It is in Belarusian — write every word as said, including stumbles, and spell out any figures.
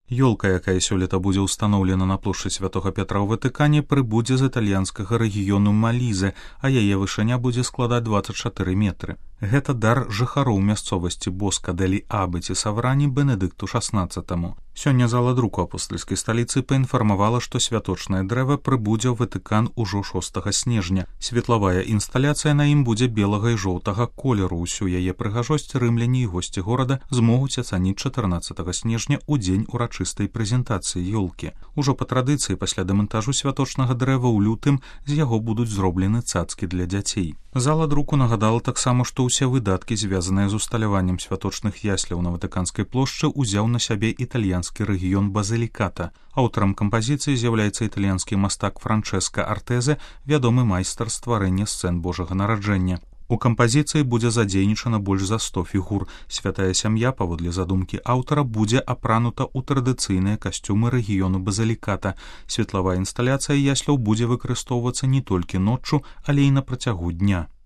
Ёлка, якая сёлета будзе ўстаноўлена на плошчы Святога Пятра ў Ватыкане, прыбудзе з італьянскага рэгіёну Малізе, а яе вышыня будзе складаць дваццаць чатыры метры. Гэта дар жыхароў мясцовасці Боска дэлі Абыці Саврані Бенедыкту шаснаццатаму. Сёння зала друку апостальскай сталіцы паінфармавала, што святочнае дрэва прыбудзе ў Ватыкан ужо шостага снежня. Светлавая інсталяцыя на ім будзе белага і жоўтага колеру. Усю яе прыгажосць рымляне і госці горада змогуць ацаніць чатырнаццатага снежня ў дзень урачыстай прэзентацыі ёлкі. Ужо па традыцыі пасля дэмантажу святочнага дрэва ў лютым з яго будуць зроблены цацкі для дзяцей. Зала друку нагадала таксама, што ўсе выдаткі, звязаныя з усталяваннем святочных ясляў на Ватыканскай плошчы, узяў на сябе італьянскі рэгіён Базыліката. Аўтарам кампазіцыі з'яўляецца італьянскі мастак Франчэска Артэзе, вядомы майстар стварэння сцэн Божага нараджэння. У кампазіцыі будзе задзейнічана больш за сто фігур. Святая сям'я, паводле задумкі аўтара, будзе апранута ў традыцыйныя касцюмы рэгіёну Базыліката. Светлавая інсталяцыя ясляў будзе выкарыстоўвацца не толькі ноччу, але і на працягу дня.